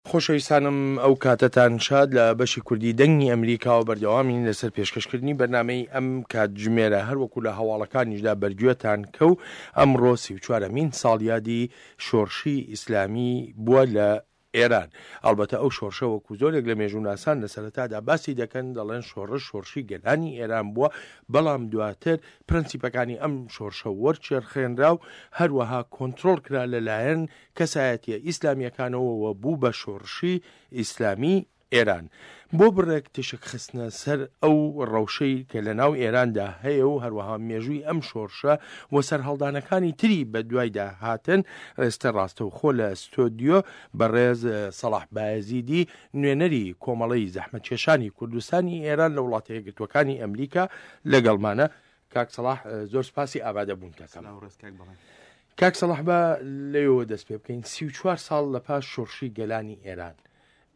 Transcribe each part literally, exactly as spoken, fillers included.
خۆشەویستانم ئەو کاتەتان شاد. لە بەشی کوردی دەنگی ئەمریکاوە بەردەوامین لەسەر پێشکەشکردنی بەرنامەی ئەم کاتژمێرە. هەروەکو لە هەواڵەکانیشدا بەرگوێتان کەو، ئەمڕۆ سی و چوارەمین ساڵیادی شۆڕشی ئیسلامی بووە لە ئێران. ئەلبەتە ئەو شۆڕشە وەکو زۆرێک لە مێژووناسان لە سەرەتادا باسی دەکەن، دەڵێن شۆڕش شۆڕشی گەلانی ئێران بووە، بەڵام دواتر پرەنسیپەکانی ئەم شۆڕشە وەرچێرخێنرا و هەروەها کۆنترۆڵ کرا لەلایەن کەسایەتیە ئیسلامیەکانەوە بوو بە شۆڕشی ئیسلامی ئێران. بۆ بڕێک تشک خستنە سەر ئەو ڕەوشەی کە لە ناو ئێراندا هەیە و هەروەها مێژووی ئەم شۆڕشە و سەرهەڵدانەکانی تری بە دوایدا هاتن، ئێستا ڕاستەوخۆ لە ستۆدیۆ بەڕێز سەڵاح بایەزیدی، نوێنەری کۆمەڵەی زەحمەتکێشانی کوردستانی ئێران لە وڵاتە یەکگرتووەکانی ئەمریکا لەگەڵمانە. کاک سەڵاح، زۆر سپاسی ئامادە بوون. کاک سەڵاح، بە لەوێوە دەست پێ بکەین. سی و چوار ساڵ لە پاش شۆڕشی گەلانی ئێران،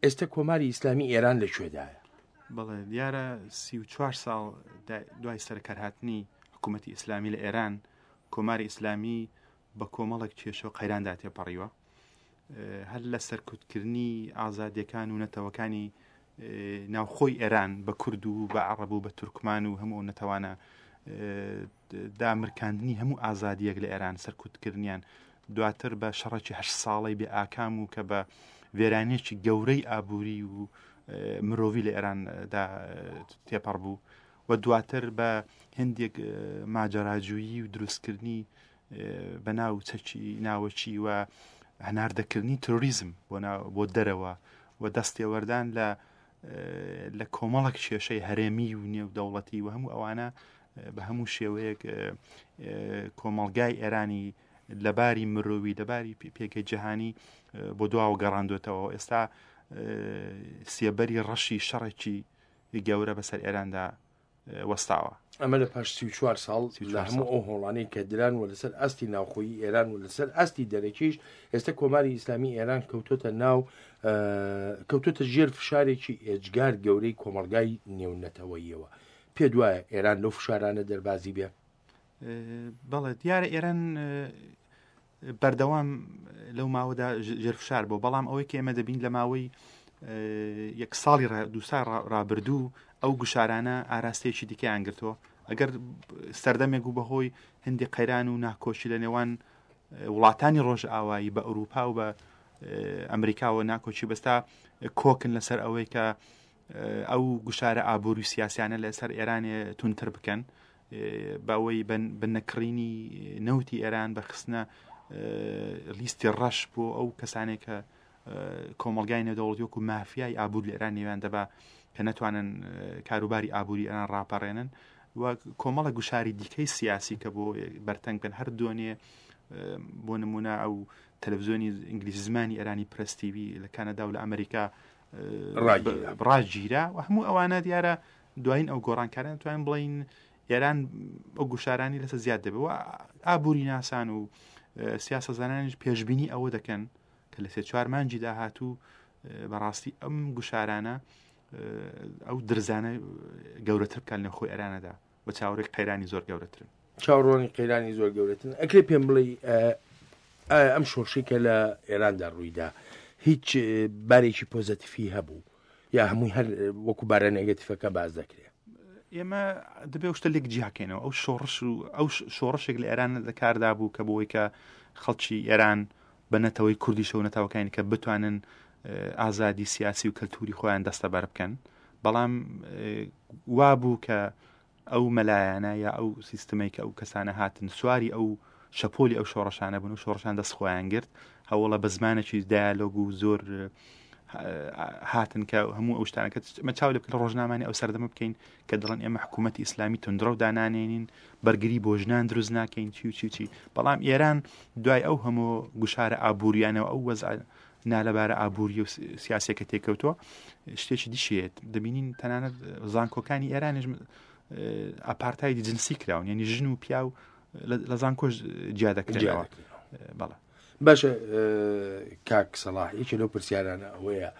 ئێستا کۆماری ئیسلامی ئێران لەکوێدایە؟ بەڵێ، دیارە سی و چوار ساڵ دوای سەرکارهاتنی حکوومەتی ئیسلامی لە ئێران، کۆماری ئیسلامی بە کۆمەڵێک کێشە و قەیراندا تێپەڕیوە، هەر لە سەرکوتکردنی ئازادیەکان و نەتەوەکانی ناوخۆی ئێران بە کورد و بە عەرەب و بە تورکمان و هەموو نەتەوانە، دامرکاندنی هەموو ئازادیەک لە ئێران، سەرکوتکردنیان، دواتر بە شەڕێکی هەشت ساڵەی بێ ئاکام و کە بە وێرانێکی گەورەی ئابووری و مرۆڤی لە ئێراندا تێپەڕ بوو و دواتر بە هەندێک ماجەراجویی و دروستکردنی بە ناو چەکی ناوەکی و هەناردەکردنی ترۆریزم بۆ دەرەوە و دەستێوەردان لە لە کۆمەڵێک کێشەی هەرێمی و نێودەوڵەتی و هەموو ئەوانە، بە هەموو شێوەیەک کۆمەڵگای ئێرانی لەباری مرۆوی، لەباری پێگەی جیهانی بۆ دواوە گەڕاندوێتەوە. ئێستا سێبەری ڕەشی شەڕێکی گەورە بەسەر ئێراندا وەستاوە. ئەمە لە پاش سی و چوار ساڵ لە هەموو ئەو هۆڵانەی کە دران و لەسەر ئاستی ناوخۆیی ئێران و لەسەر ئاستی دەرەکیش، ئێستا کۆماری ئیسلامی ئێران کەوتۆتە ناو کەوتۆتە ژێر فشارێکی ئێجگار گەورەی کۆمەلگای نێونەتەوەیەوە. پێ دوایە ئێران لەو فشارانە دەربازی بێ؟ بەڵێ، دیارە ئێران بەردەوام لەو ماوەدا ژێر فشار بوو، بەڵام ئەوەی کە ئێمە دەبین لە ماوەی یەک ساڵی دوو ساڵ ڕابردوو ئەو گوشارانە ئاراستەیەکی دیکەیان گرتووە. ئەگەر سەردەمێک بوو بەهۆی هەندێک قەیران و ناکۆشی لە نێوان وڵاتانی ڕۆژئاوایی بە ئەوروپا و بە ئەمریکاوە ناکۆکی بەستا، کۆکن لەسەر ئەوەی کە ئەو گوشارە ئابووری و سیاسیانە لەسەر ئێرانێ تونتر بکەن، بەوەی بە نەکڕینی نەوتی ئێران، بە خستنە لیستی ڕەش بۆ ئەو کەسانێک کە کۆمەلگای نێودەوڵەتی وەکو مافیای ئابوور لە ئێران نێویان دەبا کە نەتوانن کاروباری ئابووری ئێران ڕاپەڕێنن و کۆمەڵە گوشاری دیکەی سیاسی کە بۆ بەرتەنگ بن. هەر دوێنێ بۆ نمونە ئەو تەلەڤزیۆنی ئینگلیزی زمانی ئێرانی پرس تیوی لە کەنەدا و لە ئەمریکا ڕاگیرا و هەموو ئەوانە. دیارە دوایین ئەو گۆڕانکاران توانین بڵین ئێران ئەو گوشارانی لەسەر زیاد دەبێت و ئابووری ناسان و سیاسەزانانیش پێشبینی ئەوە دەکەن کە لە سێ چوار مانگی داهاتوو بەڕاستی ئەم گوشارانە، ئەو درزانە گەورەتر بکەن لە خۆی ئێرانەدا و چاوەڕێی قەیرانی زۆر گەورەترن. چاوەڕوانی قەیرانی زۆر گەورەترن. ئەکرێ پێم بڵێ ئایا ئەم شۆڕشی کە لە ئێراندا ڕوویدا هیچ بارێکی پۆزەتیفی هەبوو یا هەمووی هەر وەکو بارە نێگەتیفەکە باز دەکرێت؟ ئێمە دەبێ شتە لێک جیاکەینەوە. ئەو شۆڕش و ئەو شۆڕشێک لە ئێران لە کاردا بوو کە بۆی کە خەڵکی ئێران بە نەتەوەی کوردیشە و نەتەوەکانی کە بتوانن ئازادی سیاسی و کەلتوری خۆیان دەستەبەر بکەن، بەڵام وا بوو کە ئەو مەلایانە یا ئەو سیستمەی کە ئەو کەسانە هاتن سواری ئەو شەپۆلی ئەو شۆڕشانە بوون و شۆڕشان دەست خۆیان گرت، هەوڵە بە زمانێکی دیالۆگ و زۆر هاتن کە هەموو ئەو شتانە کە مە چاو لێ بکەن لە ڕۆژنامانی ئەو سەردەمە بکەین کە دەڵێن ئێمە حکوومەتی ئیسلامی تونندڕەو دانانێنین، بەرگری بۆ ژنان دروست ناکەین، چی و چی و چی. بەڵام ئێران دوای ئەو هەموو گوشارە ئابووریانەوە، ئەو وەزع نالەبارە ئابووری و سیاسیەکە تێکەوتووە، شتێکی دیشێت دەبینین. تەنانەت زانکۆکانی ئێرانیش ئاپارتایدی جنسی کراون، یعنی ژن و پیاو لە زانکۆش جیا دەکرێنەوە. بەڵێ. باشە کاک سەڵاح، یەکێ لەو پرسیارانە ئەوەیە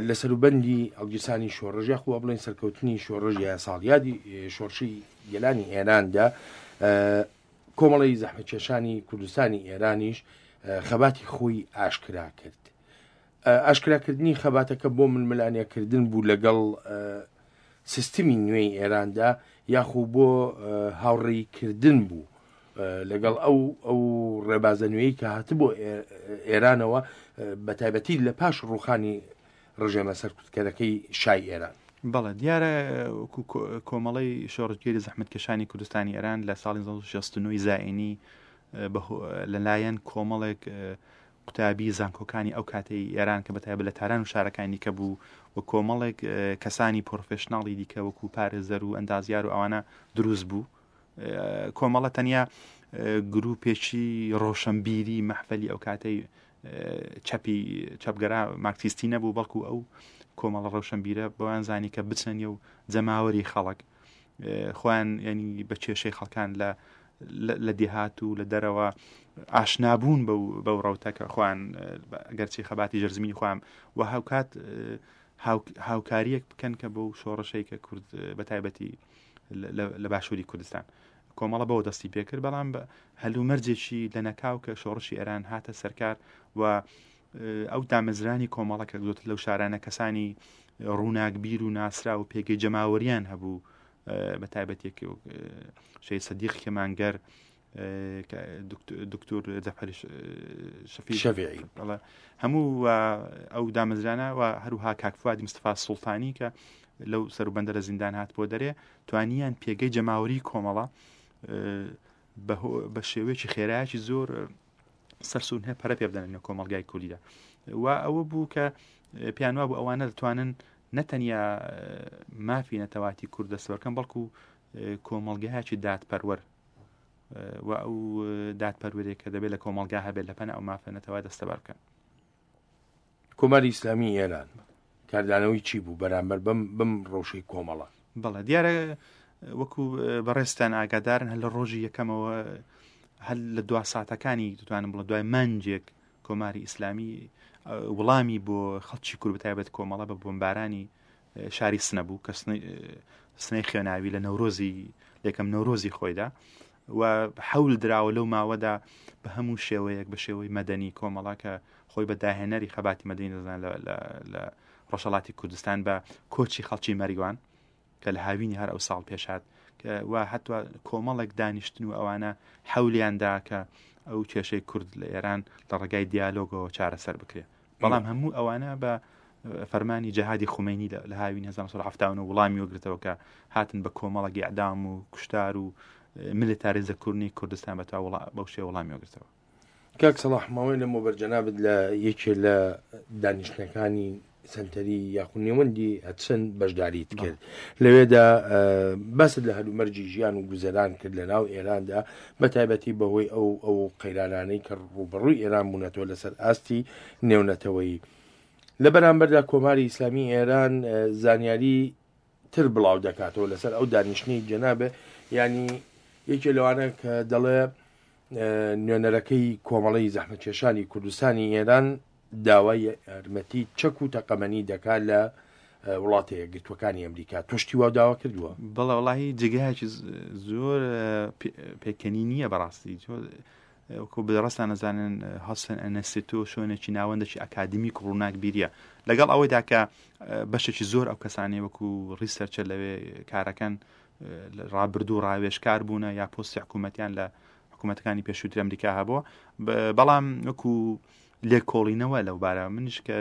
لە سەروبەندی ئەڵگیرسانی شۆڕش یاخوا بڵێن سەرکەوتنی شۆڕش یا ساڵیادی شۆڕشی گەلانی ئێراندا، کۆمەڵی زەحمەتکێشانی کوردستانی ئێرانیش خەباتی خۆی ئاشکرا کرد. ئاشکراکردنی خەباتەکە بۆ ململانێکردن بوو لەگەڵ سیستمی نوێی ئێراندا یاخو بۆ هاوڕێیکردن بوو لەگەڵ ئەو ئەو ڕێبازە نوێی کە هاتبوو ئێرانەوە بە تایبەتی لە پاش ڕوخانی ڕژێمە سەرکوتکەرەکەی شای ئێران. بەڵێ دیارە کۆمەڵەی شۆڕشگێری زەحمەتکێشانی کوردستانی ئێران لە ساڵی شەست و نۆ زایینی لەلایەن کۆمەڵێک قوتابی زانکۆکانی ئەو کاتەی ئێران کە بەتایبەت لە تاران و شارەکانی دیکە بوو و کۆمەڵێک کەسانی professional ی دیکە وەکو پارێزەر و ئەندازیار و ئەوانە دروست بوو. کۆمەڵە تەنیا گروپێکی ڕۆشنبیری مەحفەلی ئەو کاتەی چەپی چەپگەرا مارکسیستی نەبوو، بەڵکو ئەو کۆمەڵە ڕۆشنبیرە بەوان زانی کە بچنە نێو جەماوەری خەڵک خۆیان ینی بە کێشەی خەڵکان لە لە دێهات و لە دەرەوە ئاشنابوون بەو ڕەوتە کە خۆیان ئەگەرچی خەباتی ژێرزمینی خۆیان و هاوکات هاوکاریەک بکەن کە بەو شۆڕشەی کە کورد بە تایبەتی لە باشووری کوردستان کۆمەڵە بەوە دەستی پێکرد. بەڵام هەلومەرجێکی لەنەکاو کە شۆڕشی ئێران هاتە سەرکار و ئەو دامەزرانی کۆمەڵە کە زۆرتر لەو شارانە کەسانی ڕووناکبیر و ناسرا و پێگەی جەماوەریان هەبوو، بە تایبەتێک شەهید سەدیق کەمانگەر، دکتۆر جەعفەر شەفیعی، هەموو ئەو دامەزرانە و هەروها کاک فوادی مستەفا سوڵتانی کە لەو سەروبەندە لە زیندان هات بۆ دەرێ، توانیان پێگەی جەماوەری کۆمەڵە بە شێوەیەکی خێرایەکی زۆر سەرسوون هەیە پەرە پێ بدەن لە کۆمەڵگای کوردیدا. و ئەوە بوو کە پێیان وابوو ئەوانە دەتوانن نەتەنیا مافی نەتەواتی کورد دەستەبەرکەن، بەڵکو کۆمەڵگایەکی دادپەروەر و ئەو دادپەروەرێک کە دەبێت لە کۆمەڵگا هەبێت لە پەنا ئەو مافە نەتەوە دەستەبەر بکەن. کۆماری ئیسلامی ئێران کاردانەوەی چی بوو بەرامبەر بەم بەم ڕەوشەی کۆمەڵە؟ بەڵێ دیارە وەکو بەڕێزتان ئاگادارن هەر لە ڕۆژی یەکەمەوە، هەر لە دوا ساتەکانی دەتوانم بڵێم دوای مانجێک کۆماری ئیسلامی وەڵامی بۆ خەڵکی کورد بەتایبەت کۆمەڵە بە بۆمبارانی شاری سنە بوو کە سنەی خوێناوی لە نەورۆزی یەکەم نەورۆزی خۆیدا و حەول دراوە لەو ماوەدا بە هەموو شێوەیەک بە شێوەی مەدەنی کۆمەڵە کە خۆی بە داهێنەری خەباتی مەدەنی دەزان لە ڕۆژهەڵاتی کوردستان بە کۆچی خەڵکی مەریوان کە لە هاوینی هەر ئەو ساڵ پێشات و حتوا کۆمەڵێک دانیشتن و ئەوانە حەولیاندا کە ئەو کێشەی کورد لە ئێران لە ڕێگای دیالۆگەوە چارەسەر بکرێت. بەڵام هەموو ئەوانە بە فەرمانی جەهادی خومەینی لە هاوین هەزار و نۆ سەد و حەفتا و نۆ وەڵامی وەگرتەوە کە هاتن بە کۆمەڵێک ئیعدام و کوشتار و میلیتاریزەکردنی کوردستان بە تا بەو شێوە وەڵامی وەگرتەوە. کاک سەڵاح، ماوەی لەمەوبەر جەنابت لە یەکێ لە دانیشتنەکانی سەنتەری یاخو نێوەندی هەچەند بەشداریت کرد، لەوێدا باست لە هەلومەرجی ژیان و گوزەران کرد لە ناو ئێراندا، بە تایبەتی بەهۆی ئەو ئەو قەیرانانەی کە ڕووبەڕووی ئێران بوونەتەوە لەسەر ئاستی نێونەتەوەیی. لە بەرامبەردا کۆماری ئیسلامی ئێران زانیاری تر بڵاو دەکاتەوە لەسەر ئەو دانیشتنەی جەنابێ، ینی یەکێ لەوانە کە دەڵێ نوێنەرەکەی کۆمەڵەی زەحمەتکێشانی کوردستانی ئێران داوای یارمەتی چەک و تەقەمەنی دەکات لە وڵاتە یەکگرتووەکانی ئەمریکا. تۆ شتی وا داوا کردووە؟ بەڵێ وەڵاهی جێگایەکی زۆر پێکەنی نییە بەڕاستی. وەکو بەڕاستان نەزانن هەسن ئەنستیتۆ شوێنێکی ناوەندێکی ئەکادیمیک و ڕووناکبیریە، لەگەڵ ئەوەیدا کە بەشێکی زۆر ئەو کەسانەی وەکو researcher لەوێ کارەکەن ڕابردوو ڕاوێژکار بوونە یا پۆستی حکوومەتیان لە حکوومەتەکانی پێشووتر ئەمریکا هەبووە، بەڵام وەکو لێکۆڵینەوە لەو بارە منیش کە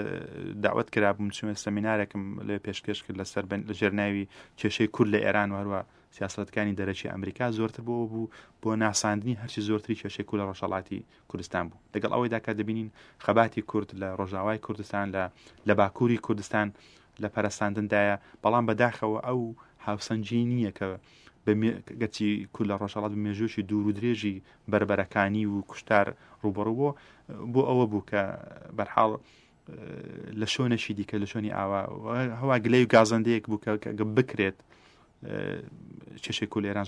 داوەت کرابووم چوومە سەمینارێکم لێ پێشکەش کرد لەسەر لە ژێرناوی کێشەی کورد لە ئێران و هەروە سیاسەتەکانی دەرەکی ئەمریکا، زۆرتر بۆ بوو بۆ ناساندنی هەرچی زۆرتری کێشەی کورد لە ڕۆژهەڵاتی کوردستان بوو. لەگەڵ ئەوەیدا کە دەبینین خەباتی کورد لە ڕۆژاوای کوردستان لە باکووری کوردستان لە پەرەساندندایە، بەڵام بەداخەوە ئەو هاوسەنگی نییە کە گەرچی کورد لە ڕۆژهەڵات بە مێژوویەکی دوور و درێژی بەربەرەکانی و کوشتار ڕووبەڕوو بوو، بۆ ئەوە بوو کە بەرحاڵ لە شوێنێکی دیکە لە شوێنی ئاوا هەوا گلەی و گازەندەیەک بوو کە بکرێت کێشەی کورد لە ئێران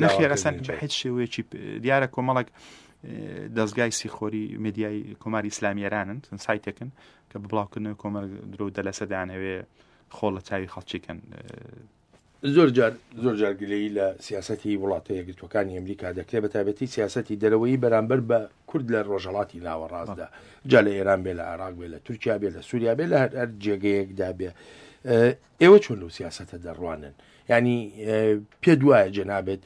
نەخێر ئەسان بە هیچ شێوەیەکی دیارە کۆمەڵێک دەستگای سیخۆری میدیای کۆماری ئیسلامی ئێرانن سایتێکن کە بە بڵاوکردنەوەی کۆمەڵ درۆ دەلەسە دەیانهەوێ خۆڵ لە چاوی خەڵکیکەن. زۆر جار زۆر جار گلەیی لە سیاسەتی وڵاتە یەکگرتووەکانی ئەمریکا دەکرێت، بە تایبەتی سیاسەتی دەرەوەیی بەرامبەر بە کورد لە ڕۆژهەڵاتی ناوەڕاستدا، جا لە ئێران بێ، لە عێراق بێ، لە تورکیا بێ، لە سووریا بێ، لە هەر هەر جێگەیەکدا بێ. ئێوە چۆن لەو سیاسەتە دەڕوانن؟ یعنی پێ دوایە جەنابێت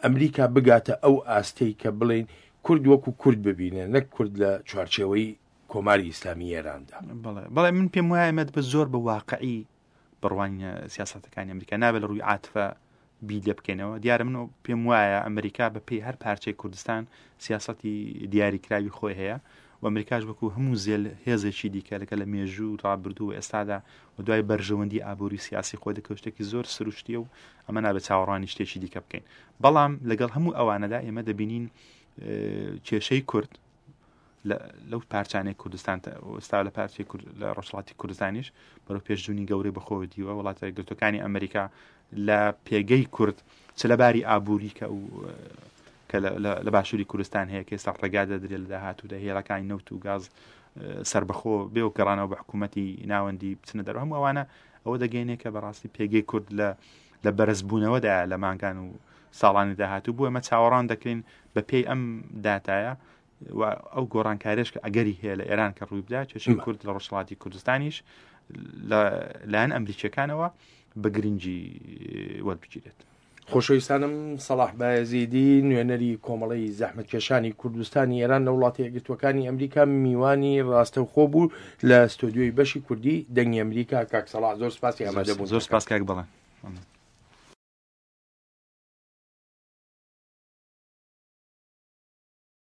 ئەمریکا بگاتە ئەو ئاستەی کە بڵێن کورد وەکو کورد ببینێ، نەک کورد لە چوارچێوەی کۆماری ئیسلامی ئێراندا. بەڵێ بەڵێ من پێم وایە ئێمە بە زۆر بە واقعی بڕوانینە سیاسەتەکانی ئەمریکا، نابێت لە ڕووی عاتفە بی لێ بکەینەوە. دیارە من پێم وایە ئەمریکا بە پێی هەر پارچەی کوردستان سیاسەتی دیاریکراوی خۆی هەیە و ئەمریکاش وەکو هەموو زێل هێزێکی دیکە لەگەڵ لە مێژوو ڕابردوو و ئێستادا و دوای بەرژەوەندی ئابووری سیاسی خۆی دەکەوت شتێکی زۆر سروشتیە و ئەمە نابێت چاوەڕوانی شتێکی دیکە بکەین. بەڵام لەگەڵ هەموو ئەوانەدا ئێمە دەبینین کێشەی کورد لەو پارچانەی کوردستان ئێستا لە پارچەی لە ڕۆژهەڵاتی کوردستانیش بەرەو پێشچوونی گەورەی بەخۆوە دیوە. وڵاتە یەکگرتووەکانی ئەمریکا لە پێگەی کورد چ لە باری ئابووری کە کە لە باشووری کوردستان هەیە کە ئێستا ڕێگا دەدرێت لە داهاتوودا هێڵەکانی نەوت و گاز سربەخۆ بێ و گەڕانەوە بە حکوومەتی ناوەندی بچنە دەرەوە، هەموو ئەوانە ئەوە دەگەینێ کە بەڕاستی پێگەی کورد لە لە بەرزبوونەوەدا لە مانگان و ساڵانی داهاتوو بوو. ئێمە چاوەڕان دەکەین بە پێی ئەم داتایە و ئەو گۆڕانکاریش کە ئەگەری هەیە لە ئێران کە ڕووی بدا، کێشەی کورد لە ڕۆژهەڵاتی کوردستانیش لە لایەن ئەمریکیەکانەوە بە گرنگی وەربگیرێت. خۆشەویستانم، سەڵاح بایەزیدی نوێنەری کۆمەڵەی زەحمەتکێشانی کوردستانی ئێران لە وڵاتە یەکگرتووەکانی ئەمریکا میوانی ڕاستەوخۆ بوو لە ستۆدیۆی بەشی کوردی دەنگی ئەمریکا. کاک سەڵاح زۆر سپاسی ئامادەبوون. زۆر سپاس کاک بەڵێن.